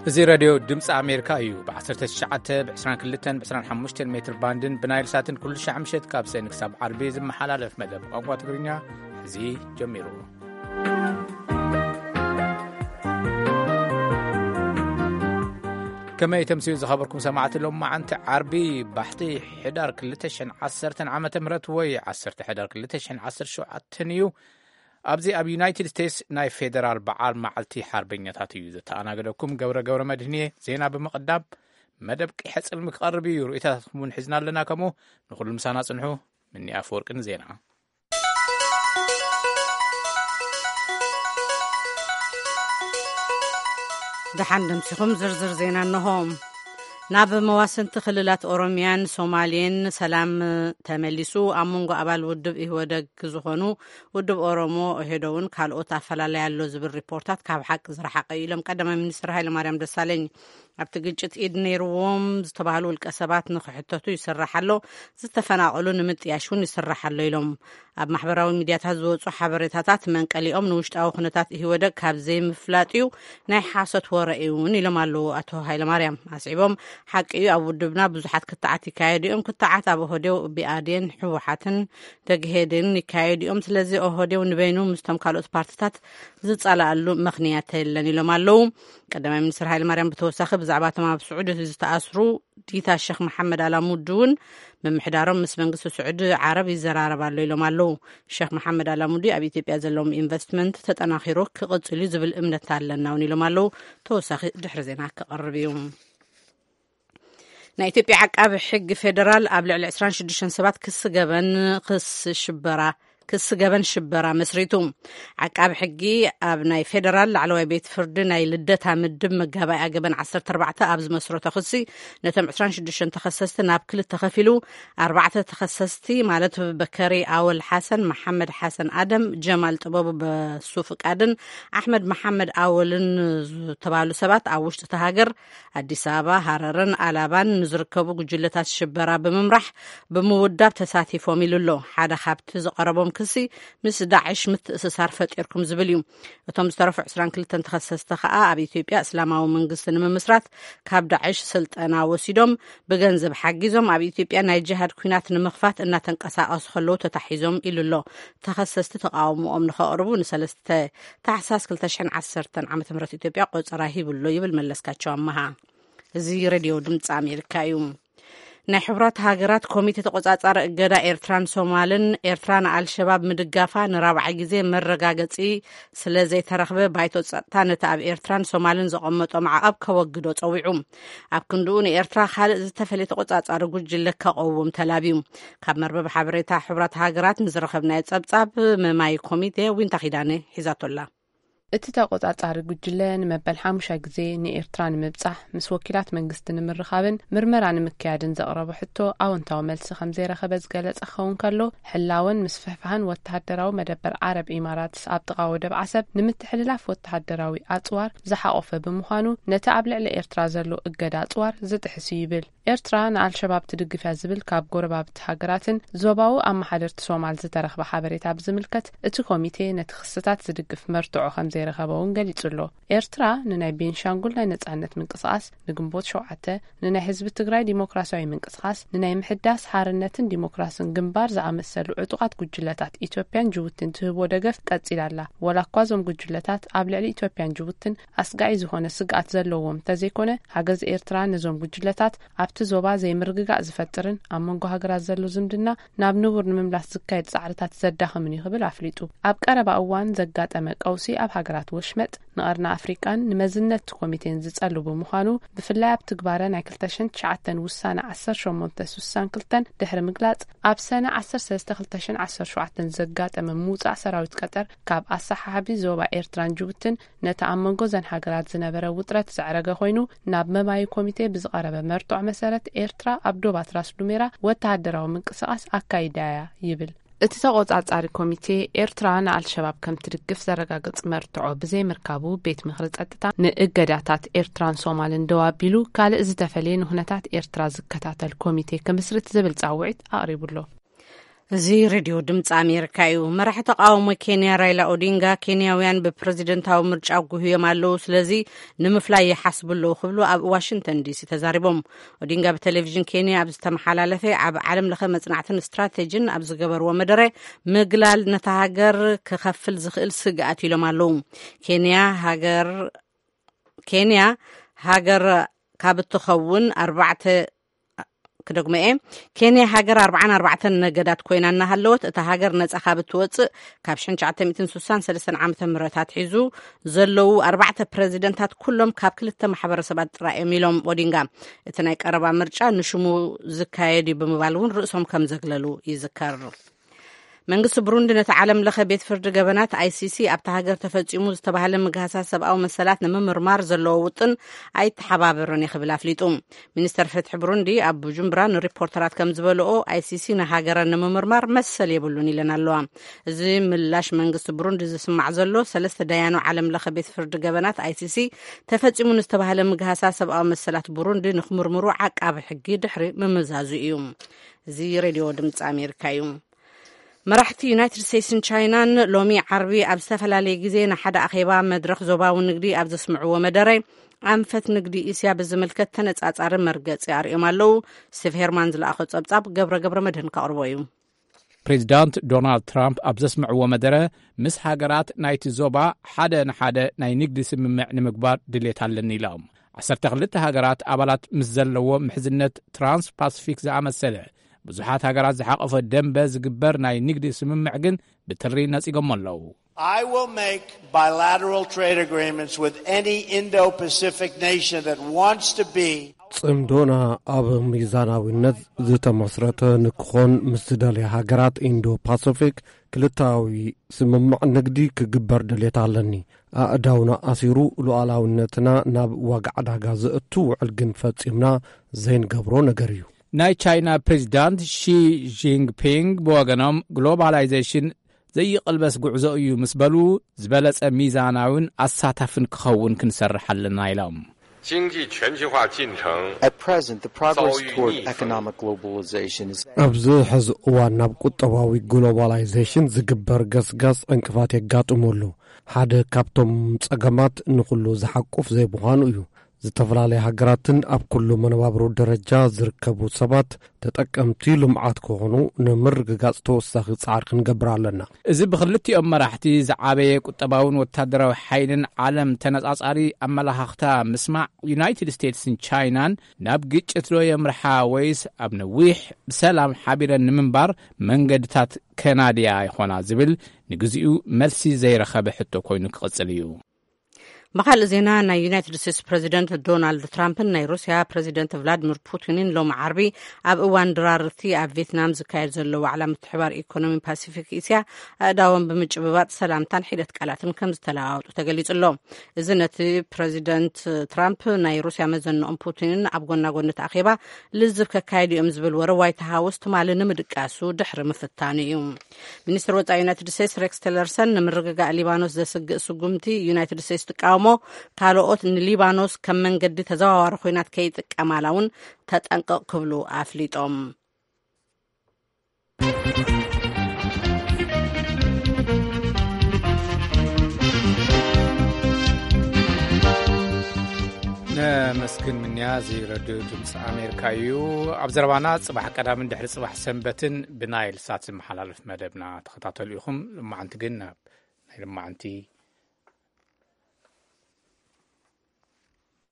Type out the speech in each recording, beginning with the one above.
እዚ ሬድዮ ድምፂ ኣሜሪካ እዩ። ብ19፣ ብ22፣ ብ25 ሜትር ባንድን ብናይል ሳትን ኩሉ ሻዕ ምሸት ካብ ሰኒ ክሳብ ዓርቢ ዝመሓላለፍ መደብ ቋንቋ ትግርኛ ሕዚ ጀሚሩ። ከመይ ተምስዩ ዝኸበርኩም ሰማዕቲ፣ ሎም መዓንቲ ዓርቢ ባሕቲ ሕዳር ክልተ ሽሕን ዓሰርተን ዓመተ ምህረት ወይ ዓሰርተ ሕዳር ክልተ ሽሕን ዓሰርተ ሸውዓተን እዩ። ኣብዚ ኣብ ዩናይትድ ስቴትስ ናይ ፌደራል በዓል መዓልቲ ሓርበኛታት እዩ። ዘተኣናገደኩም ገብረ ገብረ መድህን እየ። ዜና ብምቕዳም መደብ ቂሐ ጽልሚ ክቐርብ እዩ። ርእይቶታትኩም እውን ሒዝና ኣለና። ከምኡ ንኹሉ ምሳና ጽንሑ። ምኒ ኣፈወርቂ ንዜና። ደሓን ደምሲኹም ዝርዝር ዜና እንሆ። ናብ መዋስንቲ ክልላት ኦሮሚያን ሶማሌን ሰላም ተመሊሱ፣ ኣብ መንጎ ኣባል ውድብ ኢህወደግ ዝኾኑ ውድብ ኦሮሞ ኦህዴድን ካልኦት ኣፈላላይ ኣሎ ዝብል ሪፖርታት ካብ ሓቂ ዝረሓቐ እዩ ኢሎም ቀዳማይ ሚኒስትር ሃይለማርያም ደሳለኝ። ኣብቲ ግጭት ኢድ ነይርዎም ዝተባህሉ ውልቀ ሰባት ንክሕተቱ ይስራሕ ኣሎ፣ ዝተፈናቐሉ ንምጥያሽ እውን ይስራሕ ኣሎ ኢሎም። ኣብ ማሕበራዊ ሚድያታት ዝወፁ ሓበሬታታት መንቀሊኦም ንውሽጣዊ ኩነታት ኢህወደግ ካብ ዘይምፍላጥ እዩ፣ ናይ ሓሶት ወረ እዩ እውን ኢሎም ኣለዉ ኣቶ ሃይለማርያም። ኣስዒቦም፣ ሓቂ እዩ፣ ኣብ ውድብና ብዙሓት ክትዓት ይካየዱ እዮም፣ ክትዓት ኣብ ኦህዴው፣ ብኣዴን፣ ህወሓትን ደግሄድን ይካየዱ እዮም። ስለዚ ኦህዴው ንበይኑ ምስቶም ካልኦት ፓርትታት ዝጸላኣሉ ምኽንያት የለን ኢሎም ኣለዉ። ቀዳማይ ሚኒስትር ሃይለማርያም ብተወሳኺ ብዛዕባ እቶም ኣብ ስዑዲ ዝተኣስሩ ዲታ ሸኽ መሓመድ ኣላሙዲ እውን ምምሕዳሮም ምስ መንግስቲ ስዑዲ ዓረብ ይዘራረብ ኣሎ ኢሎም ኣለዉ። ሸኽ መሓመድ ኣላሙዲ ኣብ ኢትዮጵያ ዘለዎም ኢንቨስትመንት ተጠናኺሩ ክቕጽል እዩ ዝብል እምነት ኣለና እውን ኢሎም ኣለዉ። ተወሳኺ ድሕሪ ዜና ክቐርብ እዩ። ናይ ኢትዮጵያ ዓቃቢ ሕጊ ፌደራል ኣብ ልዕሊ ዕስራን ሽዱሽተን ሰባት ክሲ ገበን ክሲ ሽበራ ክሲ ገበን ሽበራ መስሪቱ። ዓቃቢ ሕጊ ኣብ ናይ ፌደራል ላዕለዋይ ቤት ፍርዲ ናይ ልደታ ምድብ መጋባእያ ገበን ዓሰርተ ኣርባዕተ ኣብ ዝመስረቶ ክሲ ነቶም ዕስራን ሽዱሽተን ተኸሰስቲ ናብ ክልተ ከፊሉ ኣርባዕተ ተኸሰስቲ ማለት በከሪ ኣወል ሓሰን፣ መሓመድ ሓሰን ኣደም፣ ጀማል ጥበቡ በሱ ፍቃድን ኣሕመድ መሓመድ ኣወልን ዝተባህሉ ሰባት ኣብ ውሽጢ እታ ሃገር ኣዲስ ኣበባ፣ ሃረርን ኣላባን ንዝርከቡ ጉጅለታት ሽበራ ብምምራሕ ብምውዳብ ተሳቲፎም ኢሉ ኣሎ። ሓደ ካብቲ ዝቐረቦም ክሲ ምስ ዳዕሽ ምትእስሳር ፈጢርኩም ዝብል እዩ። እቶም ዝተረፉ ዕስራን ክልተን ተኸሰስቲ ከኣ ኣብ ኢትዮጵያ እስላማዊ መንግስቲ ንምምስራት ካብ ዳዕሽ ስልጠና ወሲዶም ብገንዘብ ሓጊዞም ኣብ ኢትዮጵያ ናይ ጅሃድ ኲናት ንምኽፋት እናተንቀሳቐሱ ከለዉ ተታሒዞም ኢሉ ኣሎ። ተኸሰስቲ ተቃውሞኦም ንኸቕርቡ ንሰለስተ ታሕሳስ ክልተ ሽሕን ዓሰርተን ዓመተ ምህረት ኢትዮጵያ ቆጸራ ሂቡ ኣሎ ይብል መለስካቸው ኣመሃ። እዚ ሬድዮ ድምፂ ኣሜሪካ እዩ። ናይ ሕቡራት ሃገራት ኮሚቴ ተቆጻጻሪ እገዳ ኤርትራን ሶማልን፣ ኤርትራ ንኣልሸባብ ምድጋፋ ንራብዓይ ግዜ መረጋገጺ ስለ ዘይተረኽበ፣ ባይቶ ጸጥታ ነቲ ኣብ ኤርትራን ሶማልን ዘቐመጦ ማዕቐብ ከወግዶ ጸዊዑ። ኣብ ክንድኡ ንኤርትራ ካልእ ዝተፈልየ ተቆጻጻሪ ጉጅለ ከቐውም ተላብዩ። ካብ መርበብ ሓበሬታ ሕቡራት ሃገራት ንዝረኸብናዮ ጸብጻብ፣ መማይ ኮሚቴ ዊንታ ኪዳነ ሒዛቶ ኣላ። እቲ ተቆጻጻሪ ጉጅለ ንመበል ሓሙሻይ ግዜ ንኤርትራ ንምብጻሕ ምስ ወኪላት መንግስቲ ንምርኻብን ምርመራ ንምክያድን ዘቕረቦ ሕቶ ኣወንታዊ መልሲ ከም ዘይረኸበ ዝገለጸ ክኸውን ከሎ፣ ሕላወን ምስፍሕፋሕን ወተሃደራዊ መደበር ዓረብ ኢማራትስ ኣብ ጥቓ ወደብ ዓሰብ ንምትሕልላፍ ወተሃደራዊ ኣጽዋር ዝሓቖፈ ብምዃኑ፣ ነቲ ኣብ ልዕሊ ኤርትራ ዘሎ እገዳ ኣጽዋር ዝጥሕስ እዩ ይብል። ኤርትራ ንኣልሸባብ ትድግፍ እያ ዝብል ካብ ጎረባብቲ ሃገራትን ዞባዊ ኣመሓደርቲ ሶማል ዝተረኽበ ሓበሬታ ብዝምልከት፣ እቲ ኮሚቴ ነቲ ክስታት ዝድግፍ መርትዖ ከም ዘይረኸበ እውን ገሊጹ ኣሎ። ኤርትራ ንናይ ቤንሻንጉል ናይ ነጻነት ምንቅስቓስ፣ ንግንቦት ሸውዓተ፣ ንናይ ህዝቢ ትግራይ ዲሞክራሲያዊ ምንቅስቓስ፣ ንናይ ምሕዳስ ሓርነትን ዲሞክራስን ግንባር ዝኣመሰሉ ዕጡቓት ጉጅለታት ኢትዮጵያን ጅቡቲን ትህቦ ደገፍ ቀጺላ ኣላ። ወላ እኳ እዞም ጉጅለታት ኣብ ልዕሊ ኢትዮጵያን ጅቡቲን ኣስጋኢ ዝኾነ ስግኣት ዘለዎም እንተዘይኮነ፣ ሓገዝ ኤርትራ ነዞም ጉጅለታት ኣብቲ ዞባ ዘይምርግጋእ ዝፈጥርን ኣብ መንጎ ሃገራት ዘሎ ዝምድና ናብ ንቡር ንምምላስ ዝካየድ ጻዕርታት ዘዳኽምን እዩ ክብል ኣፍሊጡ። ኣብ ቀረባ እዋን ዘጋጠመ ቀውሲ ኣብ ሃገራት ወሽመጥ ንቐርኒ ኣፍሪቃን ንመዝነት እቲ ኮሚቴን ዝጸሉ ብምዃኑ፣ ብፍላይ ኣብ ትግባረ ናይ ክልተ ሽሕን ትሽዓተን ውሳነ ዓሰርተ ሸሞንተ ስሳን ክልተን ድሕሪ ምግላጽ፣ ኣብ ሰነ ዓሰርተ ሰለስተ ክልተ ሽሕን ዓሰርተ ሸውዓተን ዘጋጠመ ምውጻእ ሰራዊት ቀጠር ካብ ኣሰሓሓቢ ዞባ ኤርትራን ጅቡትን ነቲ ኣብ መንጎ እዘን ሃገራት ዝነበረ ውጥረት ዘዕረገ ኮይኑ፣ ናብ መማዪ ኮሚቴ ብዝቐረበ መርትዖ መሰረት፣ ኤርትራ ኣብ ዶባት ራስ ዱሜራ ወተሃደራዊ ምንቅስቓስ ኣካይዳ እያ ይብል። እቲ ተቖጻጻሪ ኮሚቴ፣ ኤርትራ ንኣልሸባብ ከም ትድግፍ ዘረጋግጽ መርትዖ ብዘይምርካቡ፣ ቤት ምኽሪ ጸጥታ ንእገዳታት ኤርትራን ሶማልን ደው ኣቢሉ፣ ካልእ ዝተፈልየ ንኹነታት ኤርትራ ዝከታተል ኮሚቴ ክምስርት ዝብል ጻውዒት ኣቕሪቡ ኣሎ። እዚ ሬድዮ ድምፂ ኣሜሪካ እዩ። መራሒ ተቃውሞ ኬንያ ራይላ ኦዲንጋ፣ ኬንያውያን ብፕረዚደንታዊ ምርጫ ጉህዮም ኣለዉ፣ ስለዚ ንምፍላይ ይሓስቡ ኣለዉ ክብሉ ኣብ ዋሽንግተን ዲሲ ተዛሪቦም። ኦዲንጋ ብቴሌቪዥን ኬንያ ኣብ ዝተመሓላለፈ ኣብ ዓለም ለኸ መጽናዕትን ስትራቴጂን ኣብ ዝገበርዎ መደረ፣ ምግላል ነታ ሃገር ክኸፍል ዝኽእል ስግኣት ኢሎም ኣለዉ። ኬንያ ሃገር ኬንያ ሃገር ካብ እትኸውን ኣርባዕተ ክደግሞ እየ። ኬንያ ሃገር ኣርባዓን ኣርባዕተን ነገዳት ኮይና እናሃለወት፣ እታ ሃገር ነጻ ካብ እትወጽእ ካብ ሽሕን ትሽዓተ ሚእትን ስሳን ሰለስተን ዓመተ ምህረት ኣትሒዙ ዘለዉ ኣርባዕተ ፕረዚደንታት ኩሎም ካብ ክልተ ማሕበረሰባት ጥራይ እዮም ኢሎም ኦዲንጋ። እቲ ናይ ቀረባ ምርጫ ንሽሙ ዝካየድ እዩ ብምባል እውን ርእሶም ከም ዘግለሉ ይዝከር። መንግስቲ ብሩንዲ ነቲ ዓለም ለኸ ቤት ፍርዲ ገበናት ኣይሲሲ ኣብታ ሃገር ተፈጺሙ ዝተባህለ ምግሃሳት ሰብኣዊ መሰላት ንምምርማር ዘለዎ ውጥን ኣይተሓባበርን እዩ ክብል ኣፍሊጡ። ሚኒስተር ፍትሒ ብሩንዲ ኣብ ቡጁምብራ ንሪፖርተራት ከም ዝበልኦ፣ ኣይሲሲ ንሃገረ ንምምርማር መሰል የብሉን ኢለን ኣለዋ። እዚ ምላሽ መንግስቲ ብሩንዲ ዝስማዕ ዘሎ፣ ሰለስተ ዳያኑ ዓለም ለኸ ቤት ፍርዲ ገበናት ኣይሲሲ ተፈጺሙ ንዝተባህለ ምግሃሳት ሰብኣዊ መሰላት ብሩንዲ ንክምርምሩ ዓቃቢ ሕጊ ድሕሪ ምምዛዙ እዩ። እዚ ሬድዮ ድምፂ ኣሜሪካ እዩ። መራሕቲ ዩናይትድ ስቴትስን ቻይናን ሎሚ ዓርቢ ኣብ ዝተፈላለየ ግዜ ንሓደ ኣኼባ መድረኽ ዞባዊ ንግዲ ኣብ ዘስምዕዎ መደረ፣ ኣንፈት ንግዲ እስያ ብዝምልከት ተነጻጻሪ መርገጺ ኣርእዮም ኣለዉ። ስቲቭ ሄርማን ዝለኣኾ ጸብጻብ ገብረ ገብረ መድህን ከቕርቦ እዩ። ፕሬዚዳንት ዶናልድ ትራምፕ ኣብ ዘስምዕዎ መደረ፣ ምስ ሃገራት ናይቲ ዞባ ሓደ ንሓደ ናይ ንግዲ ስምምዕ ንምግባር ድሌት ኣለኒ ኢሎም። ዓሰርተ ክልተ ሃገራት ኣባላት ምስ ዘለዎ ምሕዝነት ትራንስ ፓሲፊክ ዝኣመሰለ ብዙሓት ሃገራት ዝሓቐፈ ደንበ ዝግበር ናይ ንግዲ ስምምዕ ግን ብትሪ ነጺጎሞ ኣለዉ። I will make bilateral trade agreements with any Indo-Pacific nation that wants to be ጽምዶና ኣብ ሚዛናዊነት ዝተመስረተ ንክኾን ምስ ዝደልያ ሃገራት ኢንዶ ፓሲፊክ ክልታዊ ስምምዕ ንግዲ ክግበር ድሌት ኣለኒ። ኣእዳውና ኣሲሩ ሉዓላዊነትና ናብ ዋጋ ዕዳጋ ዘእቱ ውዕል ግን ፈጺምና ዘይንገብሮ ነገር እዩ። ናይ ቻይና ፕሬዚዳንት ሺ ጂንግፒንግ ብወገኖም፣ ግሎባላይዜሽን ዘይቕልበስ ጉዕዞ እዩ ምስ በሉ፣ ዝበለጸ ሚዛናዊን ኣሳታፍን ክኸውን ክንሰርሕ ኣለና ኢሎም። 经济全球化进程 At present, the progress toward economic globalization is ኣብዚ ሕዚ እዋን ናብ ቁጠባዊ ግሎባላይዜሽን ዝግበር ገስጋስ ዕንቅፋት የጋጥመሉ። ሓደ ካብቶም ጸገማት ንኹሉ ዝሓቁፍ ዘይምዃኑ እዩ። ዝተፈላለያ ሃገራትን ኣብ ኩሉ መነባብሮ ደረጃ ዝርከቡ ሰባት ተጠቀምቲ ልምዓት ክኾኑ ንምርግጋጽ ተወሳኺ ጻዕሪ ክንገብር ኣለና። እዚ ብክልቲኦም መራሕቲ ዝዓበየ ቁጠባውን ወታደራዊ ሓይልን ዓለም ተነጻጻሪ ኣመላኻኽታ ምስማዕ፣ ዩናይትድ ስቴትስን ቻይናን ናብ ግጭት ዶ የምርሓ ወይስ ኣብ ነዊሕ ብሰላም ሓቢረን ንምንባር መንገድታት ከናድያ ይኾና ዝብል ንግዚኡ መልሲ ዘይረኸበ ሕቶ ኮይኑ ክቕጽል እዩ። ብኻልእ ዜና፣ ናይ ዩናይትድ ስቴትስ ፕረዚደንት ዶናልድ ትራምፕን ናይ ሩስያ ፕረዚደንት ቭላድሚር ፑቲንን ሎሚ ዓርቢ ኣብ እዋን ድራርቲ ኣብ ቬትናም ዝካየድ ዘሎ ዋዕላ ምትሕባር ኢኮኖሚ ፓሲፊክ እስያ ኣእዳዎም ብምጭብባጥ ሰላምታን ሒደት ቃላትን ከም ዝተለዋወጡ ተገሊጹ ኣሎ። እዚ ነቲ ፕረዚደንት ትራምፕ ናይ ሩስያ መዘንኦም ፑቲንን ኣብ ጎና ጎኒ እቲ ኣኼባ ልዝብ ከካየዱ እዮም ዝብል ወረ ዋይት ሃውስ ትማሊ ንምድቃሱ ድሕሪ ምፍታኑ እዩ። ሚኒስትር ወጻኢ ዩናይትድ ስቴትስ ሬክስ ቲለርሰን ንምርግጋእ ሊባኖስ ዘስግእ ስጉምቲ ዩናይትድ ስቴትስ ትቃወሞ፣ ካልኦት ንሊባኖስ ከም መንገዲ ተዘዋዋሪ ኮይናት ከይጥቀማላ እውን ተጠንቀቕ ክብሉ ኣፍሊጦም። ነመስግን ምንያ፣ እዚ ረድዮ ድምፂ ኣሜሪካ እዩ። ኣብ ዘረባና፣ ፅባሕ ቀዳምን ድሕሪ ፅባሕ ሰንበትን ብናይል ሳት ዝመሓላለፍ መደብና ተኸታተሉ ኢኹም። ልማዓንቲ ግን ናብ ናይ ልማዓንቲ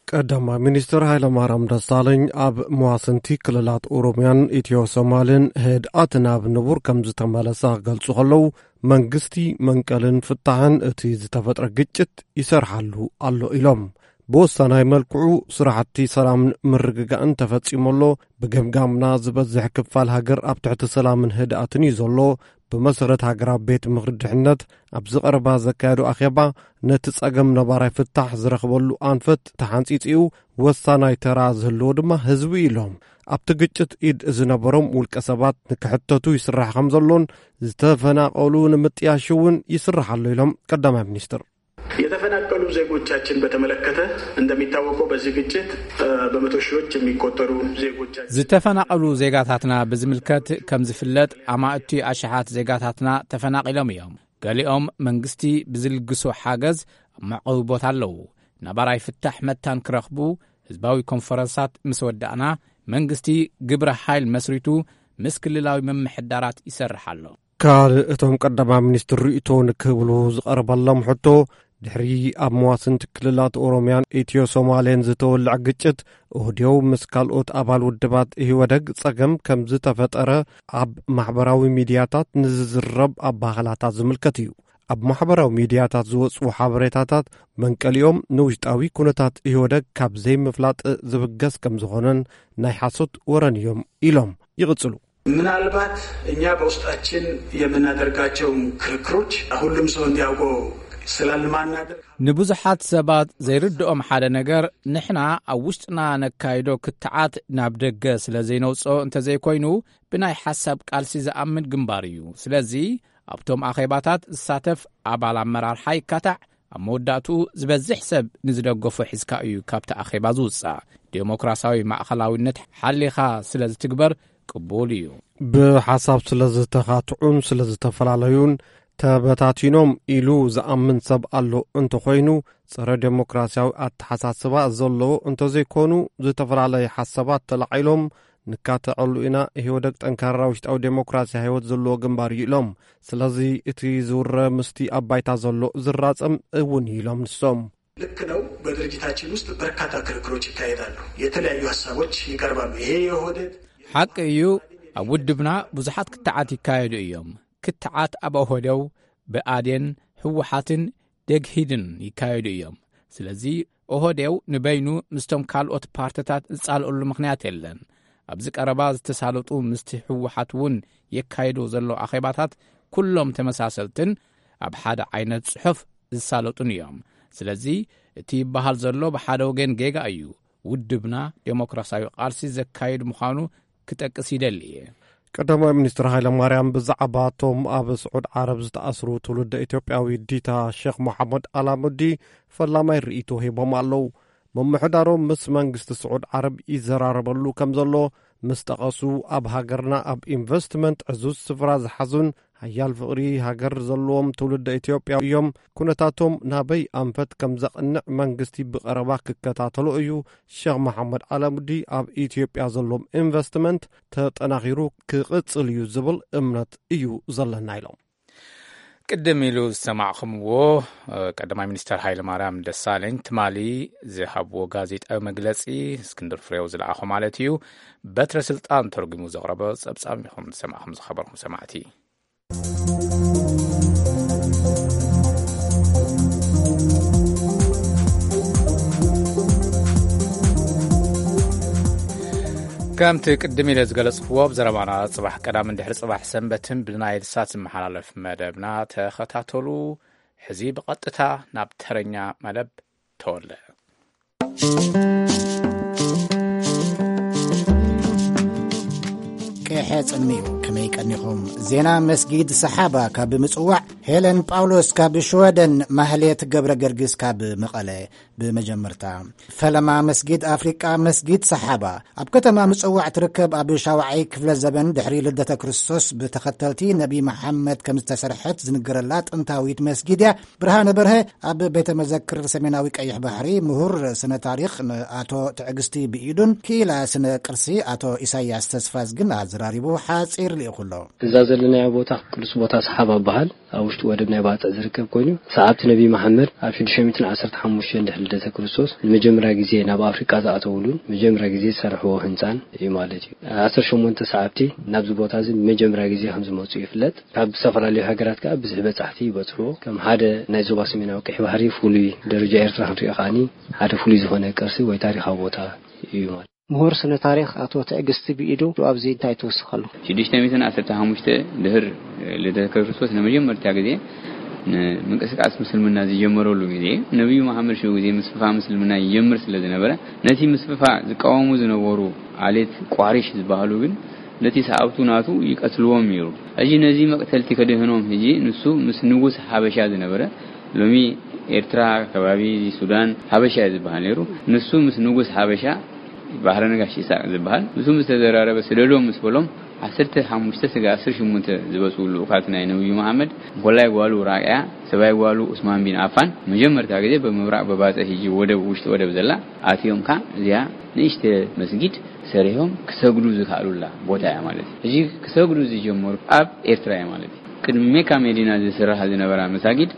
ቀዳማይ ሚኒስትር ሃይለማርያም ደሳለኝ ኣብ መዋስንቲ ክልላት ኦሮሚያን ኢትዮ ሶማልን ህድኣት ናብ ንቡር ከም ዝተመለሰ ክገልጹ ከለዉ፣ መንግስቲ መንቀልን ፍታሕን እቲ ዝተፈጥረ ግጭት ይሰርሓሉ ኣሎ ኢሎም። ብወሳናይ መልክዑ ስራሕቲ ሰላምን ምርግጋእን ተፈጺሙ ኣሎ። ብገምጋምና ዝበዝሕ ክፋል ሃገር ኣብ ትሕቲ ሰላምን ህድኣትን እዩ ዘሎ። ብመሰረት ሃገራዊ ቤት ምኽሪ ድሕነት ኣብዚ ቀረባ ዘካየዶ ኣኼባ፣ ነቲ ጸገም ነባራይ ፍታሕ ዝረኽበሉ ኣንፈት ተሓንጺጺኡ፣ ወሳናይ ተራ ዝህልዎ ድማ ህዝቢ እዩ ኢሎም። ኣብቲ ግጭት ኢድ ዝነበሮም ውልቀ ሰባት ንክሕተቱ ይስራሕ ከም ዘሎን ዝተፈናቐሉ ንምጥያሽ እውን ይስራሕ ኣሎ ኢሎም ቀዳማይ ሚኒስትር። የተፈናቀሉ ዜጎቻችን በተመለከተ፣ እንደሚታወቀው በዚህ ግጭት በመቶ ሺዎች የሚቆጠሩ ዜጎቻችን ዝተፈናቐሉ ዜጋታትና ብዝምልከት ከም ዝፍለጥ፣ ኣማእቲ ኣሽሓት ዜጋታትና ተፈናቒሎም እዮም። ገሊኦም መንግስቲ ብዝልግሶ ሓገዝ ኣብ መዕቆቢ ቦታ ኣለዉ። ነባራይ ፍታሕ መታን ክረኽቡ ህዝባዊ ኮንፈረንሳት ምስ ወዳእና፣ መንግስቲ ግብረ ሓይል መስሪቱ ምስ ክልላዊ ምምሕዳራት ይሰርሕ ኣሎ። ካልእ እቶም ቀዳማይ ሚኒስትር ርእይቶ ንክህብሉ ዝቐረበሎም ሕቶ፣ ድሕሪ ኣብ መዋስንቲ ክልላት ኦሮምያን ኢትዮ ሶማሌን ዝተወልዐ ግጭት፣ ኦህዴው ምስ ካልኦት ኣባል ውድባት ኢህወደግ ጸገም ከም ዝተፈጠረ ኣብ ማሕበራዊ ሚድያታት ንዝዝረብ ኣባህላታት ዝምልከት እዩ። ኣብ ማሕበራዊ ሚድያታት ዝወጽኡ ሓበሬታታት መንቀሊኦም ንውሽጣዊ ኩነታት ኢህወደግ ካብ ዘይምፍላጥ ዝብገስ ከም ዝኾነን ናይ ሓሶት ወረን እዮም ኢሎም ይቕጽሉ። ምናልባት እኛ በውስጣችን የምናደርጋቸውን ክርክሮች ሁሉም ሰው እንዲያውቀው ስላልማናደርግ ንብዙሓት ሰባት ዘይርድኦም ሓደ ነገር፣ ንሕና ኣብ ውሽጥና ነካይዶ ክትዓት ናብ ደገ ስለ ዘይነውጽኦ እንተዘይኮይኑ፣ ብናይ ሓሳብ ቃልሲ ዝኣምን ግንባር እዩ። ስለዚ ኣብቶም ኣኼባታት ዝሳተፍ ኣባል ኣመራርሓ ይካታዕ፣ ኣብ መወዳእትኡ ዝበዝሕ ሰብ ንዝደገፎ ሒዝካ እዩ ካብቲ ኣኼባ ዝውጻእ። ዴሞክራሲያዊ ማእኸላዊነት ሓሊኻ ስለ ዝትግበር ቅቡል እዩ። ብሓሳብ ስለ ዝተኻትዑን ስለ ዝተፈላለዩን ተበታቲኖም ኢሉ ዝኣምን ሰብ ኣሎ እንተኾይኑ፣ ጸረ ዴሞክራሲያዊ ኣተሓሳስባ ዘለዎ እንተዘይኮኑ፣ ዝተፈላለየ ሓሳባት ተላዒሎም ንካተዐሉ ኢና። ኢህወደግ ጠንካራ ውሽጣዊ ዴሞክራሲያዊ ህይወት ዘለዎ ግንባር እዩ ኢሎም። ስለዚ እቲ ዝውረ ምስቲ ኣብ ባይታ ዘሎ ዝራጸም እውን እዩ ኢሎም ንሶም። ልክ ነው። በድርጅታችን ውስጥ በርካታ ክርክሮች ይካሄዳሉ። የተለያዩ ሀሳቦች ይቀርባሉ። ይሄ የኦህዴድ ሓቂ እዩ። ኣብ ውድብና ብዙሓት ክትዓት ይካየዱ እዮም። ክትዓት ኣብ ኦህዴው፣ ብኣዴን፣ ህወሓትን ደግሂድን ይካየዱ እዮም። ስለዚ ኦህዴው ንበይኑ ምስቶም ካልኦት ፓርትታት ዝጻልኦሉ ምኽንያት የለን። ኣብዚ ቀረባ ዝተሳለጡ ምስቲ ህወሓት እውን የካይዶ ዘሎ ኣኼባታት ኩሎም ተመሳሰልትን ኣብ ሓደ ዓይነት ጽሑፍ ዝሳለጡን እዮም። ስለዚ እቲ ይበሃል ዘሎ ብሓደ ወገን ጌጋ እዩ። ውድብና ዴሞክራሲያዊ ቃልሲ ዘካይድ ምዃኑ ክጠቅስ ይደሊ እየ። ቀዳማይ ሚኒስትር ሃይለ ማርያም ብዛዕባ እቶም ኣብ ስዑድ ዓረብ ዝተኣስሩ ትውልደ ኢትዮጵያዊ ዲታ ሼክ መሓመድ ኣላሙዲ ፈላማይ ርእይቶ ሂቦም ኣለዉ። ምምሕዳሮም ምስ መንግስቲ ስዑድ ዓረብ ይዘራረበሉ ከም ዘሎ ምስ ጠቐሱ፣ ኣብ ሃገርና ኣብ ኢንቨስትመንት ዕዙዝ ስፍራ ዝሓዙን ሓያል ፍቕሪ ሃገር ዘለዎም ትውልደ ኢትዮጵያ እዮም። ኩነታቶም ናበይ ኣንፈት ከም ዘቕንዕ መንግስቲ ብቐረባ ክከታተሎ እዩ። ሼክ መሓመድ ኣላሙዲ ኣብ ኢትዮጵያ ዘሎም ኢንቨስትመንት ተጠናኺሩ ክቕጽል እዩ ዝብል እምነት እዩ ዘለና ኢሎም። ቅድም ኢሉ ዝሰማዕኹምዎ፣ እ፣ ቀዳማይ ሚኒስተር ሃይለማርያም ደሳለኝ ትማሊ ዝሃብዎ ጋዜጣዊ መግለጺ፣ እስክንድር ፍሬው ዝለኣኾ ማለት እዩ፣ በትረ ስልጣን ተርጒሙ ዘቕረቦ ጸብጻብ ኢኹም ዝሰማዕኹም ዝኸበርኩም ሰማዕቲ። ከምቲ ቅድም ኢለ ዝገለጽክዎ፣ ኣብ ዘረባና ጽባሕ ቀዳምን ድሕሪ ጽባሕ ሰንበትን ብናይል ሳት ዝመሓላለፍ መደብና ተኸታተሉ። ሕዚ ብቐጥታ ናብ ተረኛ መደብ ተወለ። ቅሐ ጽልሚ'ዩ። ከመይ ቀኒኹም? ዜና መስጊድ ሰሓባ ካብ ምጽዋዕ፣ ሄለን ጳውሎስ ካብ ሽወደን፣ ማህሌት ገብረ ገርግስ ካብ መቐለ። ብመጀመርታ፣ ፈለማ መስጊድ ኣፍሪቃ መስጊድ ሰሓባ ኣብ ከተማ ምጽዋዕ ትርከብ፣ ኣብ ሻውዓይ ክፍለ ዘበን ድሕሪ ልደተ ክርስቶስ ብተኸተልቲ ነቢ መሓመድ ከም ዝተሰርሐት ዝንገረላ ጥንታዊት መስጊድ እያ። ብርሃነ በርሀ ኣብ ቤተ መዘክር ሰሜናዊ ቀይሕ ባሕሪ ምሁር ስነ ታሪኽ ንኣቶ ትዕግስቲ ብኢዱን ክኢላ ስነ ቅርሲ ኣቶ ኢሳያስ ተስፋዝግን ኣዘራሪቡ ሓጺር ልኢኹ ኣሎ። እዛ ዘለናያ ቦታ ቅዱስ ቦታ ሰሓባ ይበሃል። ኣብ ውሽጢ ወደብ ናይ ባጽዕ ዝርከብ ኮይኑ፣ ሰዓብቲ ነቢ መሓመድ ኣብ ሽዱሽተ ሚእትን ዓሰርተ ሓሙሽተን ድሕሪ ልደተ ክርስቶስ ንመጀመርያ ግዜ ናብ ኣፍሪቃ ዝኣተውሉን መጀመርያ ግዜ ዝሰርሕዎ ህንጻን እዩ ማለት እዩ። ዓሰርተ ሸሞንተ ሰዓብቲ ናብዚ ቦታ እዚ ንመጀመርያ ግዜ ከም ዝመጹ ይፍለጥ። ካብ ዝተፈላለዩ ሃገራት ከኣ ብዙሕ በጻሕቲ ይበጽሕዎ። ከም ሓደ ናይ ዞባ ሰሜናዊ ቀይሕ ባሕሪ ፍሉይ ደረጃ ኤርትራ ክንሪኦ ከኣኒ ሓደ ፍሉይ ዝኾነ ቅርሲ ወይ ታሪኻዊ ቦታ እዩ ማለት። ምሁር ስነ ታሪኽ ኣቶ ትዕግስቲ ብኢዱ ኣብዚ እንታይ ትውስኸሉ? ሽዱሽተ ሚእትን ዓሰርተ ሓሙሽተ ድህር ልደተ ክርስቶስ ንመጀመርታ ግዜ ንምንቅስቃስ ምስልምና ዝጀመረሉ ግዜ፣ ነቢዩ መሓመድ ሽዑ ግዜ ምስፍፋ ምስልምና ይጀምር ስለ ዝነበረ፣ ነቲ ምስፍፋ ዝቃወሙ ዝነበሩ ኣሌት ቋሪሽ ዝበሃሉ ግን ነቲ ሰዓብቱ ናቱ ይቀትልዎም ነይሩ። ሕጂ ነዚ መቅተልቲ ከድህኖም፣ ሕጂ ንሱ ምስ ንጉስ ሓበሻ ዝነበረ፣ ሎሚ ኤርትራ፣ ከባቢ ሱዳን፣ ሓበሻ እዩ ዝበሃል ነይሩ። ንሱ ምስ ንጉስ ሓበሻ፣ ባህረ ነጋሽ ይስሐቅ ዝበሃል፣ ንሱ ምስ ተዘራረበ፣ ስደዶም ምስ በሎም፣ ዓሰርተ ሓሙሽተ ስጋ ዓሰርተ ሸሞንተ ዝበጽኡ ልኡኻት ናይ ነብዩ መሓመድ፣ እንኮላይ ጓሉ ራቅያ፣ ሰብኣይ ጓሉ ዑስማን ቢን ኣፋን፣ መጀመርታ ግዜ ብምብራቅ በባጽዕ፣ ሕጂ ወደብ፣ ውሽጢ ወደብ ዘላ፣ ኣትዮም፣ ከኣ እዚኣ ንእሽተ መስጊድ ሰሪሖም ክሰግዱ ዝከኣሉላ ቦታ እያ ማለት እዩ። ሕጂ ክሰግዱ ዝጀመሩ ኣብ ኤርትራ እያ ማለት እዩ። ቅድሚ ሜካ መዲና ዝስራሓ ዝነበራ መሳጊድ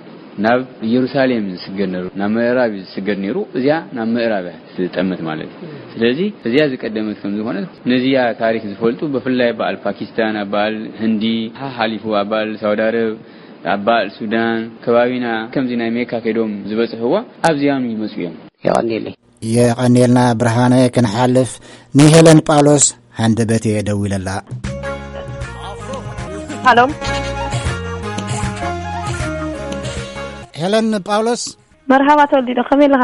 ናብ ኢየሩሳሌም ዝስገድ ነይሩ፣ ናብ ምዕራብ እዩ ዝስገድ ነይሩ። እዚኣ ናብ ምዕራብ እያ ትጠምት ማለት እዩ። ስለዚ እዚኣ ዝቀደመት ከም ዝኾነት፣ ነዚኣ ታሪክ ዝፈልጡ፣ ብፍላይ በዓል ፓኪስታን፣ ኣብ በዓል ህንዲ፣ ሓሓሊፉ ኣብ በዓል ሳውዲ ኣረብ፣ ኣብ በዓል ሱዳን፣ ከባቢና ከምዚ ናይ ሜካ ከይዶም ዝበጽሕዋ ኣብዚኣም ይመጹ እዮም። የቐንየለይ። የቐንየልና ብርሃነ። ክንሓልፍ ንሄለን ጳውሎስ ሃንደበት እየ ደዊለላ። ሃሎ። ሄለን ጳውሎስ። መርሃባ ተወልዲዶ፣ ከመይ ኣለኻ?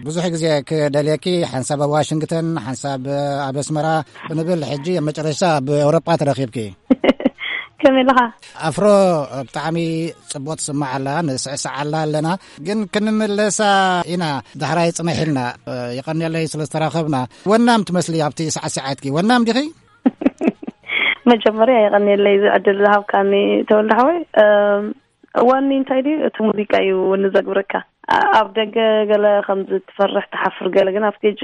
ብዙሕ ግዜ ክደልየኪ፣ ሓንሳብ ኣብ ዋሽንግተን፣ ሓንሳብ ኣብ ኣስመራ ክንብል፣ ሕጂ ኣብ መጨረሻ ኣብ ኤውሮጳ ተረኺብኪ። ከመይ ኣለኻ? ኣፍሮ፣ ብጣዕሚ ጽቡቅ ትስማዕ ኣላ፣ ንስዕስዓላ ኣለና። ግን ክንምለሳ ኢና፣ ዳሕራይ ጽንሕ ኢልና። የቐንየለይ ስለ ዝተራኸብና። ወናም ትመስሊ ኣብቲ ሳዕሲዓትኪ። ወናም ዲኺ? መጀመርያ የቐንየለይ እዚ ዕድል ዝሃብካኒ ተወልደ ሓወይ። እም፣ ዋኒ እንታይ ድዩ? እቲ ሙዚቃ እዩ ወኒ ዘግብረካ። ኣ-፣ ኣብ ደገ ገለ ከምዚ ትፈርሕ ትሓፍር ገለ፣ ግን ኣብ ስቴጅ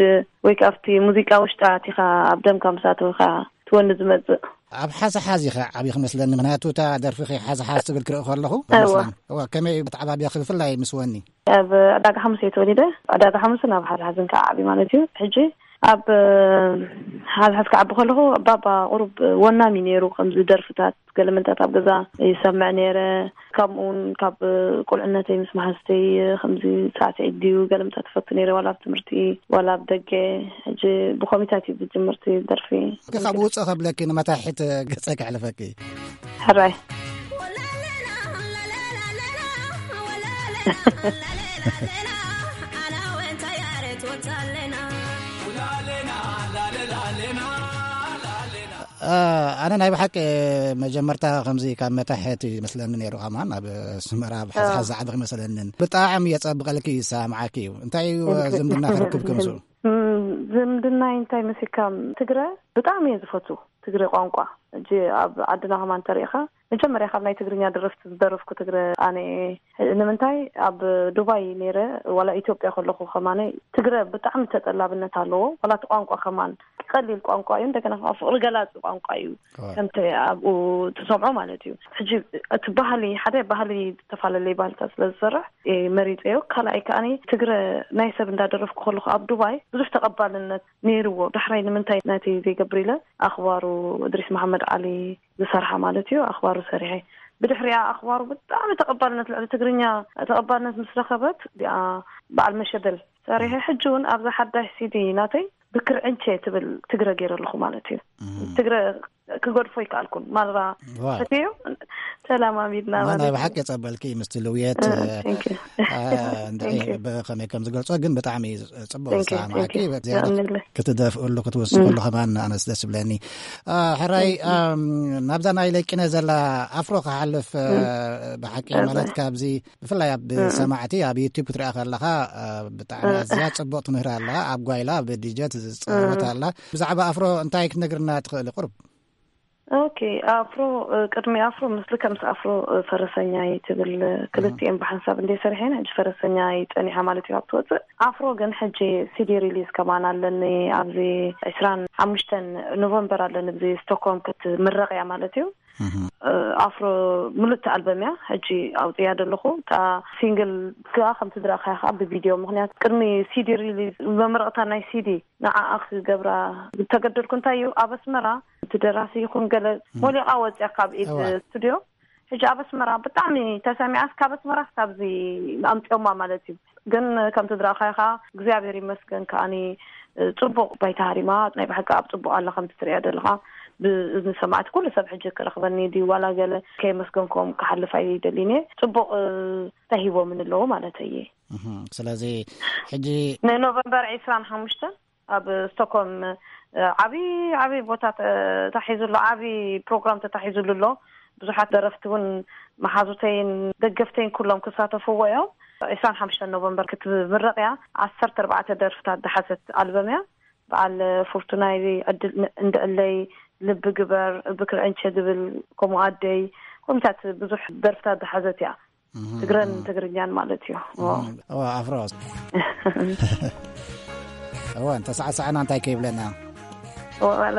ወይ ከኣ ኣብቲ ሙዚቃ ውሽጢ ኣቲኻ ኣብ ደምካ ምስ ኣተውካ ትወኒ ዝመጽእ። ኣብ ሓዝሓዝ ኢኻ ዓብዪ ክመስለኒ፣ ምኽንያቱ እታ ደርፊኺ ሓዝሓዝ ትብል ክርኢ ከለኹ እወ። ይመስለኒ። እወ፣ ከመይ እዩ ኣተዓባብያኺ ብፍላይ ምስ ወኒ? ኣብ ዕዳጋ ሓሙስ እየ ተወሊደ። ዕዳጋ ሓሙስን ኣብ ሓዝሓዝን ከዓ ዓብዪ ማለት እዩ። ሕጂ ኣብ ሓዝሓዝ ክዓቢ ከለኹ ባባ ቁሩብ ወናሚ ነይሩ፣ ከምዚ ደርፍታት ገለመንታት ኣብ ገዛ ይሰምዕ ነይረ። ከምኡ እውን ካብ ቁልዕነተይ ምስ መሓዝተይ ከምዚ ሳዕስዒት ድዩ ገለመንታት ትፈቱ ነይረ፣ ዋላ ኣብ ትምህርቲ ዋላ ኣብ ደገ። ሕጂ ብኮሚታት እዩ ዝጅምር እቲ ደርፊ። ግን ካብ ውፅእ ከብለኪ ንመታሕት ገፀ ከሕልፈኪ። ሕራይ። አ፣ ኣነ ናይ ብሓቂ መጀመርታ ከምዚ ካብ መታሕት ይመስለኒ ነይሩ፣ ከማን ኣብ ኣስመራ ኣብ ሓዝሓዝ ዝዓበኺ ይመስለንን። ብጣዕሚ የጸብቐልኪ፣ ይሰማማዓኪ እዩ። እንታይ እዩ ዝምድና ክርክብ ከምሱ? እም፣ ዝምድናይ እንታይ መሲልካ፣ ትግረ ብጣዕሚ እየ ዝፈቱ፣ ትግረ ቋንቋ። ሕጂ ኣብ ዓድና ከማን እንተሪኢኻ፣ መጀመርያ ካብ ናይ ትግርኛ ደረፍቲ ዝደረፍኩ ትግረ ኣነ እየ። ንምንታይ ኣብ ዱባይ ነይረ፣ ዋላ ኢትዮጵያ ከለኹ ከማነይ ትግረ ብጣዕሚ ተጠላብነት ኣለዎ። ዋላ እቲ ቋንቋ ከማን ቀሊል ቋንቋ እዩ፣ እንደገና ከዓ ፍቕሪ ገላፂ ቋንቋ እዩ። ዋው። ከምቲ ኣብኡ ትሰምዖ ማለት እዩ። ሕጂ እቲ ባህሊ፣ ሓደ ባህሊ፣ ዝተፈላለየ ባህልታት ስለ ዝሰርሕ እየ መሪፀዮ። ካልኣይ ከዓኒ ትግረ ናይ ሰብ እንዳደረፍኩ ከለኹ ኣብ ዱባይ ብዙሕ ተቐባልነት ነይርዎ። ዳሕራይ ንምንታይ ናተይ ዘይገብር ኢለ ኣኽባሩ እድሪስ መሓመድ ዓሊ ዝሰርሓ ማለት እዩ። ኣኽባሩ ሰሪሐ። ብድሕሪኣ ኣኽባሩ ብጣዕሚ ተቐባልነት፣ ልዕሊ ትግርኛ ተቐባልነት ምስ ረኸበት፣ እዚኣ በዓል መሸበል ሰሪሐ። ሕጂ እውን ኣብዛ ሓዳሽ ሲዲ ናተይ ብክርዕንቼ ትብል ትግረ ገይረ ኣለኹ ማለት እዩ። እም። ትግረ ክገድፎ ይከኣልኩን። ማራ ዋው። ፈትዮ ተለማሚድና ማ ማለት ናይ እዩ። ብሓቂ የጸበልኪ ምስቲ ልውየት፣ እ፣ እ፣ thank you። እ፣ እንድዒ thank you። ብኸመይ ከም ዝገልጾ ግን ብጣዕሚ ጽቡቕ thank you፣ ዝሰማማዓኪ። thank you። ብዝያዳ የቐንየለይ። ክትደፍእሉ፣ ክትውስኸሉ እም። ከማን ኣነስ ደስ ይብለኒ። አ፣ ሕራይ፣ thank you። ኣም፣ ናብዛ ናይ ለቂነ ዘላ ኣፍሮ ክሓልፍ፣ እ፣ እም። ብሓቂ እወ። ማለት ካብዚ ብፍላይ ኣብ እም። ሰማዕቲ ኣብ ዩቱብ ክትሪኣ ከለኻ፣ እ፣ ብጣዕሚ እም። ኣዝያ ጽቡቕቲ ምህር ኣላ። ኣብ ጓይላ ብዲጀት ዝጻወት እም። ኣላ። ብዛዕባ ኣፍሮ እንታይ ክትነግርና ትኽእሊ ቁሩብ? ኦኬ፣ ኣፍሮ፣ እ፣ ቅድሚ ኣፍሮ፣ ምስ ልከ ምስ ኣፍሮ፣ እ፣ ፈረሰኛይ ትብል፣ እ፣ እም። ክልቲኤን ብሓንሳብ እንደ ሰሪሐን፣ ሕጂ ፈረሰኛይ ጸኒሓ ማለት እዩ ኣብ ትወጽእ። ኣፍሮ ግን ሕጂ ሲዲ ሪሊዝ ከማን ኣለኒ፣ ኣብዚ ዕስራን ሓሙሽተን ኖቨምበር ኣለኒ፣ ኣብዚ ስቶክሆልም ክትምረቕ እያ ማለት እዩ። እህ። እ፣ ኣፍሮ ምሉእቲ ኣልበም እያ ሕጂ ኣውፅያ ዘለኹ። እታ ሲንግል ከኣ ከምቲ ዝረኣኻያ ከኣ ብቪድዮ፣ ምኽንያቱ ቅድሚ ሲዲ ሪሊዝ መመረቕታ ናይ ሲዲ ንዓኣ ክገብራ ዝተገደድኩ እንታይ እዩ፣ ኣብ ኣስመራ እቲ ደራሲ ይኹን ገለ እም። ሞሊቓ ወፅያ ካብ ኢድ እዋ። ስቱድዮ። ሕጂ ኣብ ኣስመራ ብጣዕሚ ተሰሚዓስ፣ ካብ ኣስመራ ክሳብዚ ኣምፅዮማ ማለት እዩ። ግን ከምቲ ዝረኣኻዮ ከኣ እግዚኣብሔር ይመስገን ከኣኒ፣ እ፣ ጽቡቕ ባይታ ሃሪማ፣ ናይ ብሓቂ ኣብ ጽቡቕ ኣላ ከምቲ ትርእያ ዘለኻ። ብእዝኒ ሰማዕቲ ኩሉ ሰብ ሕጂ ክረኽበኒ ድዩ ዋላ ገለ ከየመስገንኩም ክሓልፍ ኣይደልን እየ። ጽቡቕ፣ እ፣ ተሂቦምን ኣለዉ ማለት እየ። እህ፣ ስለዚ ሕጂ ንኖቨምበር ዕስራን ሓሙሽተን ኣብ ስቶክሆልም፣ እ፣ ዓቢ፣ ዓቢ ቦታ ተ-፣ ተታሒዙ ኣሎ፣ ዓቢ ፕሮግራም ተታሒዙሉ ኣሎ። ብዙሓት ደረፍቲ እውን መሓዙተይን ደገፍተይን ኩሎም ክሳተፍዎ እዮም። ዕስራን ሓሙሽተን ኖቨምበር ክትምረቕ እያ። ዓሰርተ ኣርባዕተ ደርፍታት ዝሓዘት ኣልበም እያ። በዓል ፍርቱናይ፣ ዕድል ን-፣ እንድዕለይ፣ ልቢ ግበር፣ ብክርዕንቸ ዝብል፣ ከምኡ ኣደይ፣ ኮሚታት ብዙሕ ደርፍታት ዝሓዘት እያ። እህ፣ ትግረን እህ። ትግርኛን ማለት እዩ። እህ። እዋ፣ ኣፍሮ። እዋ፣ እንተሰዓሰዓና እንታይ ከይብለና? እዋ፣ ዋላ።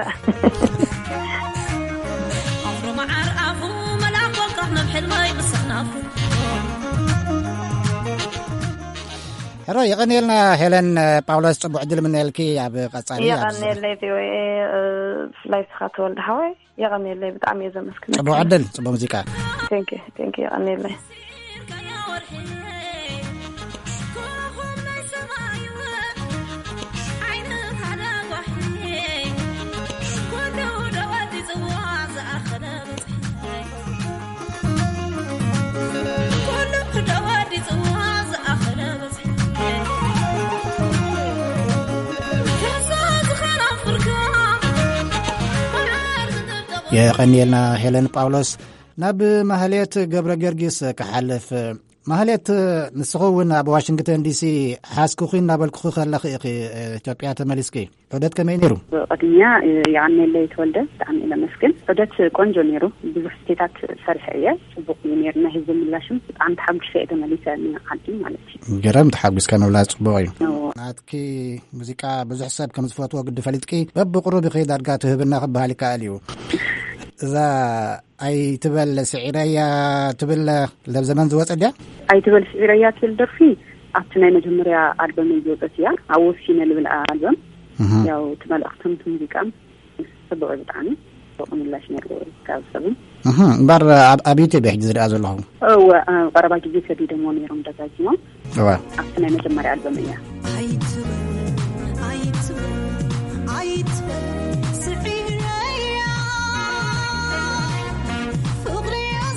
ኣፍሮ መዓር ኣፉ፣ መልኣኽ ወልቃኽ ናብ ሕልመይ ምስኽናፉ። ሕሮ፣ የቐንየልና ሄለን ጳውሎስ፣ ጽቡቕ ዕድል ምነየልኪ ኣብ ቀጻሊ። ኣብ የቐንየለይ ቪኦኤ፣ እ፣ ብፍላይ ስኻ ተወልደ ሓወይ፣ የቐንየለይ፣ ብጣዕሚ እየ ዘመስግነካ። ጽቡቕ ዕድል፣ ጽቡቕ ሙዚቃ። Thank you፣ thank you፣ የቐንየለይ። የቐንየልና ሄለን ጳውሎስ። ናብ ማህሌት ገብረ ጊዮርጊስ ክሓልፍ። ማህሌት፣ ንስኹ እውን ኣብ ዋሽንግተን ዲሲ ሓዝኩኺ እናበልኩኺ ከለኺ ኢኺ ኢትዮጵያ ተመሊስኪ። ዑደት ከመይ ነይሩ? ቅድሚያ የቐንየለይ ተወልደ፣ ብጣዕሚ እየ ለመስግን። ዑደት ቆንጆ ነይሩ። ብዙሕ ስቴታት ሰሪሐ እየ። ጽቡቕ እዩ ነይሩ። ናይ ህዝቢ ምላሽም ብጣዕሚ ተሓጒሰ እየ ተመሊሰ ንዓዲ ማለት እዩ። ገረም፣ ተሓጒስካ ምብላስ ጽቡቕ እዩ። እዎ። ናትኪ ሙዚቃ ብዙሕ ሰብ ከም ዝፈትዎ ግዲ ፈሊጥኪ፣ በብቕሩብ ኢኺ ዳርጋ ትህብና ክበሃል ይከኣል እዩ። እዛ ኣይትበል ስዒረያ ትብል ለብ ዘመን ዝወጸ ድያ? ኣይትበል ስዒረያ ትብል ደርፊ ኣብቲ ናይ መጀመርያ ኣልበም ዝወጸት እያ። ኣብ ወሲነ ልብል ኣልበም። እህ። ያው እቲ መልእኽትን እቲ ሙዚቃን ጽቡቕ እዩ ብጣዕሚ። ጽቡቕ ምላሽ ነይርዎ ካብ ሰብን። እህ፣ እምበር ኣብ፣ ኣብ ዩቱብ እየ ሕጂ ዝሪኣ ዘለኹ። እወ፣ ኣብ ቀረባ ግዜ ሰዲዶምዎ ነይሮም ደጋጊሞም። እወ። ኣብቲ ናይ መጀመርያ ኣልበም እያ። ኣይትበል፣ ኣይትበል፣ ኣይትበል፣ ስዒረያ። ፍቕሪ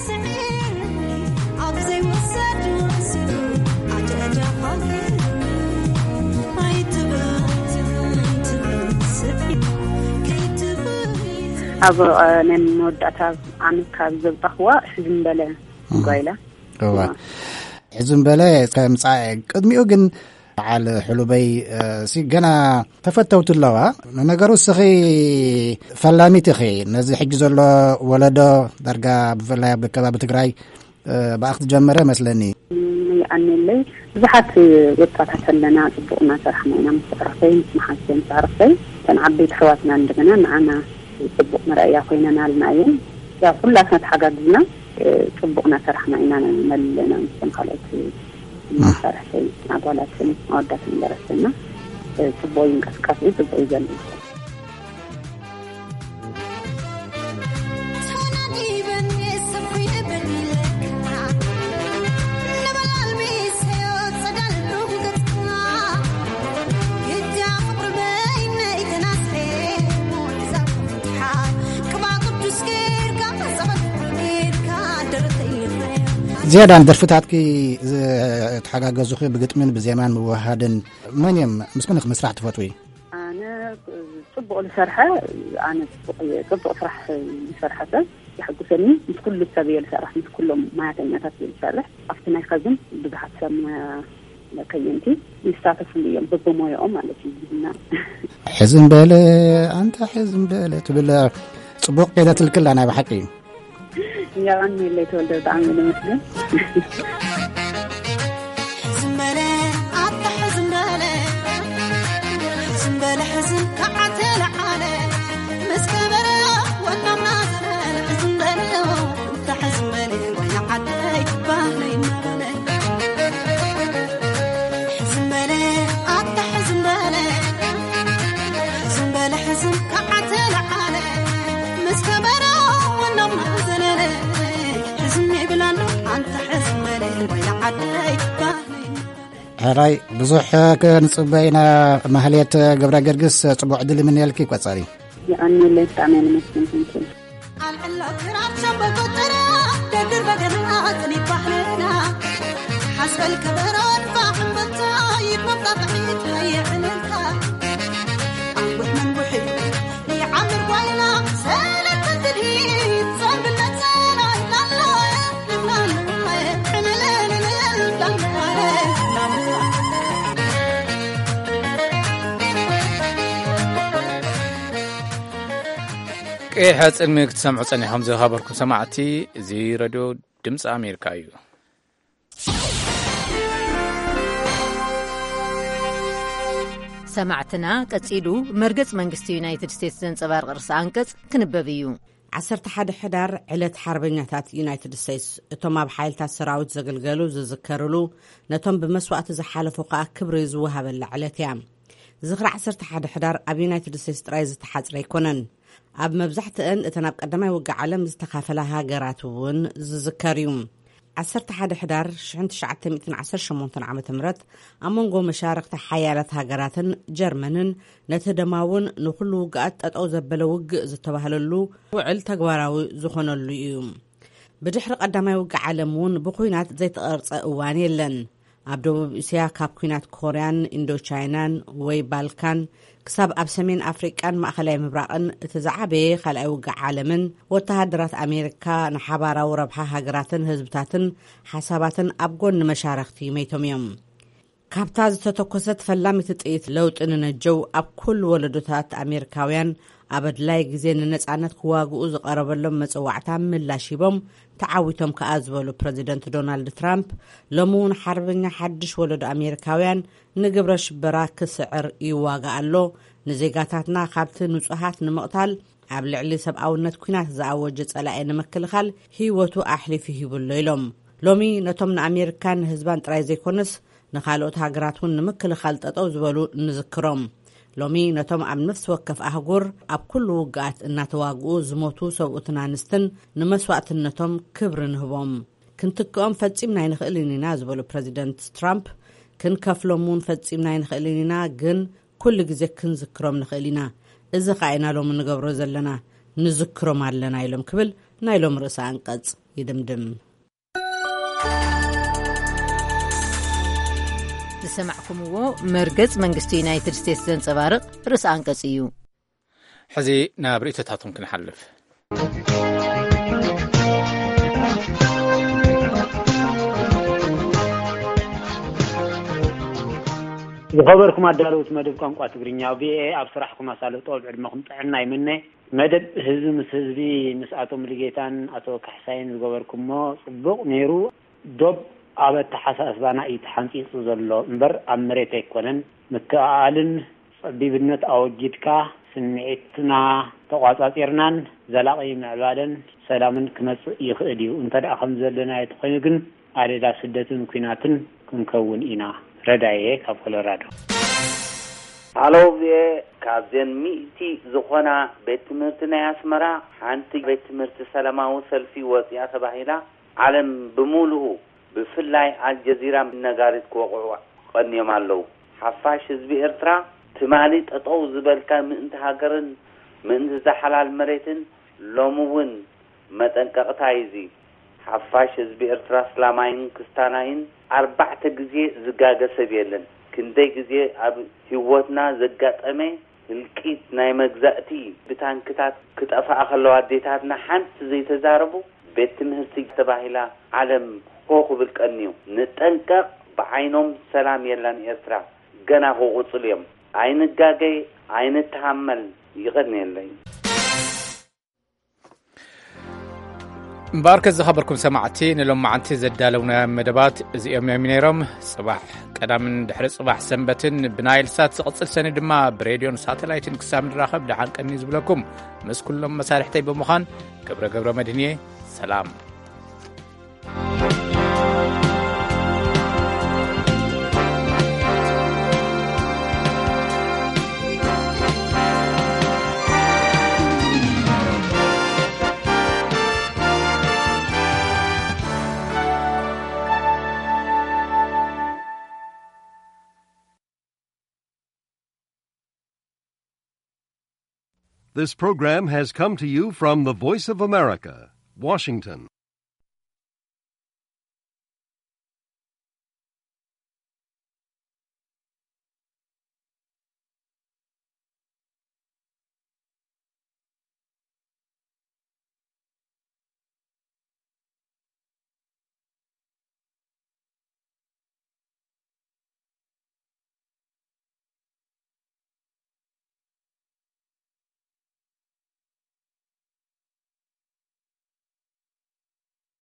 ስዒረያ፣ ኣብ ዘይወሰድ ወሲዱ፣ ኣደ፣ ኣደ፣ ሓዘን። ኣይትበል፣ ኣይትበል፣ ስዒ-፣ ከይትበል፣ ኣብ፣ እ፣ ናይ መወዳእታ ዓመት ካብ ዘውጣኽዋ ሕዝም በለ እህ። ጓይላ። እዋ። እዋ። ሕዝም በለ እስከ ምጻእ። ቅድሚኡ ግን በዓል ሕሉበይ፣ እ፣ ሲ ገና ተፈተውቲ ኣለዋ። ንነገሩ እስኺ ፈላሚት ኢኺ። ነዚ ሕጂ ዘሎ ወለዶ ዳርጋ ብፍላይ ኣብ ከባቢ ትግራይ፣ እ፣ ብኣኽ ዝጀመረ መስለኒ። እም፣ ይኣነለይ። ብዙሓት ወጣታት ኣለና፣ ጽቡቕ እናሰራሕና ኢና። ምስ ኣዕሩኽተይ፣ ምስ መሓዙተይ፣ ምስ ኣዕሩኽተይ፣ እተን ዓበይቲ ኣሕዋትና እንደገና ንዓና ጽቡቕ መርኣያ ኮይነናልና እየን። ያው ኩላትና ተሓጋጊዝና፣ እ፣ ጽቡቕ እናሰራሕና ኢና፣ መለና ምስቶም ካልኦት መሳርሕተይ ኣጓላትን ኣወዳትን ደረስትና፣ እ፣ ጽቡቕ እዩ እንቅስቃሴ፣ ጽቡቕ እዩ ዘሎ። ዝያዳ ንደርፍታትኪ ዝተሓጋገዙኺ ብግጥምን ብዜማን ምውህሃድን መን እዮም? ምስ መን ኢኺ ምስራሕ ትፈትዊ? ኣነ ጽቡቕ ዝሰርሐ፣ ኣነ ጽቡቕ እየ፣ ጽቡቕ ስራሕ ዝሰርሐ ሰብ የሐጉሰኒ። ምስ ኩሉ ሰብ እየ ዝሰርሕ፣ ምስ ኩሎም ማያተኛታት እየ ዝሰርሕ። ኣብቲ ናይ ኸዝን ብዙሓት ሰብ ከየንቲ ይሳተፍሉ እዮም፣ በብሞያኦም ማለት እዩ። እና ሕዝም በለ ኣንታ ሕዝም በለ ትብል ጽቡቕ ከይዳ ትልክላ ናይ ብሓቂ። የቐንየለይ ተወልደ፣ ብጣዕሚ እየ ዘመስግን። ሕዝም በለ ኣታ ሕዝም በለ፣ ሕዝም በለ ሕዝም ከዓ ተለዓለ፣ ምስ ከበረ ወናምና ዘለለ። ሕዝም በለ ኣታ ሕዝም በለ፣ ወያ ዓደይ ባህለይ እናበለ። ሕዝም በለ ኣታ ሕዝም በለ፣ ሕዝም በለ ሕዝም ከዓ ተለዓለ፣ ምስ ከበረ ወናምና ዘለለ። ሕዝም ይብል ኣሎ ኣንታ ሕዝም በለ፣ ወያ ዓደይ ባህለይ እናበለ። ሕራይ ብዙሕ ክንጽበ ኢና። ማህሌት ገብረ ገርግስ፣ ጽቡቕ ዕድል ይምነየልኪ። ቀጻሊ። የቐንየለይ፣ ብጣዕሚ እየ ለመስግን። ኣልዕሎ ክራር ሸምበቆ ጥራ፣ ደርድር በገና፣ ጽኒት ባህልና። ሓስበል ከበሮ ንፋሕ እምበልታ፣ ይድመቕ ጣቕዒት ወይ ዕልልታ። ኣንቡሕ መንቡሒ ይዓምር ጓይላ፣ ሰለስተ ትልሂት፣ ዘንብል ነጸላ ኤህ፣ ጽልሚ ክትሰምዑ ጸኒሖም ዝኸበርኩም ሰማዕቲ፣ እዚ ረድዮ ድምፂ ኣሜሪካ እዩ። ሰማዕትና፣ ቀጺሉ መርገጽ መንግስቲ ዩናይትድ ስቴትስ ዘንጸባርቕ ርእሰ ኣንቀጽ ክንበብ እዩ። ዓሰርተ ሓደ ሕዳር ዕለት ሓርበኛታት ዩናይትድ ስቴትስ፣ እቶም ኣብ ሓይልታት ሰራዊት ዘገልገሉ ዝዝከርሉ፣ ነቶም ብመስዋእቲ ዝሓለፉ ከኣ ክብሪ ዝወሃበላ ዕለት እያ። ዝኽሪ ዓሰርተ ሓደ ሕዳር ኣብ ዩናይትድ ስቴትስ ጥራይ ዝተሓጽረ ኣይኮነን። ኣብ መብዛሕትአን እተን ኣብ ቀዳማይ ውግእ ዓለም ዝተኻፈላ ሃገራት እውን ዝዝከር እዩ። ዓሰርተ ሓደ ሕዳር ሽሕን ትሽዓተ ሚእትን ዓሰርተ ሸሞንተን ዓመተ ምህረት ኣብ መንጎ መሻርኽቲ ሓያላት ሃገራትን ጀርመንን ነቲ ደማውን ንኹሉ ውግኣት ጠጠው ዘበለ ውግእ ዝተባህለሉ ውዕል ተግባራዊ ዝኾነሉ እዩ። ብድሕሪ ቀዳማይ ውግእ ዓለም እውን ብኹናት ዘይተቐርጸ እዋን የለን። ኣብ ደቡብ እስያ ካብ ኲናት ኮርያን ኢንዶቻይናን ወይ ባልካን ክሳብ ኣብ ሰሜን ኣፍሪቃን ማእኸላይ ምብራቕን እቲ ዝዓበየ ካልኣይ ውግእ ዓለምን ወተሃደራት ኣሜሪካ ንሓባራዊ ረብሓ ሃገራትን ህዝብታትን ሓሳባትን ኣብ ጎኒ መሻረኽቲ መይቶም እዮም። ካብታ ዝተተኮሰት ፈላሚት ጥይት ለውጢ ንነጀው ኣብ ኩሉ ወለዶታት ኣሜሪካውያን ኣብ ኣድላይ ግዜ ንነጻነት ክዋግኡ ዝቐረበሎም መጽዋዕታ ምላሽ ሂቦም ተዓዊቶም ከኣ ዝበሉ ፕረዚደንት ዶናልድ ትራምፕ፣ ሎሚ እውን ሓርበኛ ሓድሽ ወለዶ ኣሜሪካውያን ንግብረ ሽበራ ክስዕር ይዋጋእ ኣሎ፣ ንዜጋታትና ካብቲ ንጹሃት ንምቕታል ኣብ ልዕሊ ሰብኣውነት ኲናት ዝኣወጀ ጸላኢ ንምክልኻል ህይወቱ ኣሕሊፉ ሂቡ ኣሎ ኢሎም። ሎሚ ነቶም ንኣሜሪካን ንህዝባን ጥራይ ዘይኮነስ ንኻልኦት ሃገራት እውን ንምክልኻል ጠጠው ዝበሉ ንዝክሮም። ሎሚ ነቶም ኣብ ነፍሲ ወከፍ ኣህጉር ኣብ ኩሉ ውግኣት እናተዋግኡ ዝሞቱ ሰብኡትን ኣንስትን ንመስዋእትነቶም ክብሪ ንህቦም። ክንትክኦም ፈጺምና ኣይንኽእልን ኢና ዝበሉ ፕረዚደንት ትራምፕ፣ ክንከፍሎም እውን ፈጺምና ኣይንኽእልን ኢና፣ ግን ኩሉ ግዜ ክንዝክሮም ንኽእል ኢና። እዚ ኸኣ ኢና ሎሚ ንገብሮ ዘለና፣ ንዝክሮም ኣለና ኢሎም ክብል ናይ ሎም ርእሰ ኣንቀጽ ይድምድም። ዝሰማዕኩምዎ መርገጽ መንግስቲ ዩናይትድ ስቴትስ ዘንጸባርቕ ርእሰ ኣንቀጽ እዩ። ሕዚ ናብ ርእይቶታቶም ክንሓልፍ። ዝኸበርኩም ኣዳለውቲ መደብ ቋንቋ ትግርኛ ቪኦኤ፣ ኣብ ስራሕኩም ኣሳልጦ፣ ኣብ ዕድመኹም ጥዕና ይምነ። መደብ ህዝቢ ምስ ህዝቢ፣ ምስ ኣቶ ሙሉጌታን ኣቶ ካሕሳይን ዝገበርኩሞ ጽቡቕ ነይሩ። ዶብ ኣብ ኣተሓሳስባና እዩ ተሓንጺጹ ዘሎ እምበር ኣብ መሬት ኣይኮነን። ምክእኣልን ጸቢብነት ኣወጊድካ፣ ስምዒትና ተቋጻጺርናን ዘላቒ ምዕባለን ሰላምን ክመጽእ ይኽእል እዩ። እንተ ደኣ ከም ዘለናዮ ተኾይኑ ግን፣ ኣደዳ ስደትን ኲናትን ክንከውን ኢና። ረዳየ ካብ ኮሎራዶ። ሃሎ ቪኦኤ፣ ካብዘን ሚእቲ ዝኾና ቤት ትምህርቲ ናይ ኣስመራ፣ ሓንቲ ቤት ትምህርቲ ሰላማዊ ሰልፊ ወፂኣ ተባሂላ፣ ዓለም ብምሉኡ ብፍላይ ኣልጀዚራ ነጋሪት ክወቕዑ ቀንዮም ኣለዉ። ሓፋሽ ህዝቢ ኤርትራ፣ ትማሊ ጠጠው ዝበልካ ምእንቲ ሃገርን ምእንቲ እዛ ሓላል መሬትን፣ ሎሚ እውን መጠንቀቕታ እዩ እዚ። ሓፋሽ ህዝቢ ኤርትራ፣ ኣስላማይን ክስታናይን፣ ኣርባዕተ ግዜ ዝጋገ ሰብ የለን። ክንደይ ግዜ ኣብ ህይወትና ዘጋጠመ ህልቂት ናይ መግዛእቲ ብታንክታት ክጠፍኣ ከለዋ ኣዴታትና ሓንቲ ዘይተዛረቡ፣ ቤት ትምህርቲ ተባሂላ ዓለም ሆ ክብል ቀንዩ። ንጠንቀቕ፣ ብዓይኖም ሰላም የላን ኤርትራ፣ ገና ክቕጽሉ እዮም። ኣይንጋገይ፣ ኣይንተሃመል። ይቐንየለይ። እምበኣርከስ ዝኸበርኩም ሰማዕቲ፣ ንሎማዓንቲ ዘዳለውናዮም መደባት እዚኦም እዮም ነይሮም። ጽባሕ ቀዳምን ድሕሪ ጽባሕ ሰንበትን ብናይል ሳት ዝቕጽል ሰኒ ድማ ብሬድዮን ሳተላይትን ክሳብ ንራኸብ ደሓን ቀኒ ዝብለኩም ምስ ኩሎም መሳርሕተይ ብምዃን ክብረ ገብረ መድህን እየ። ሰላም። This program has come to you from the Voice of America, Washington.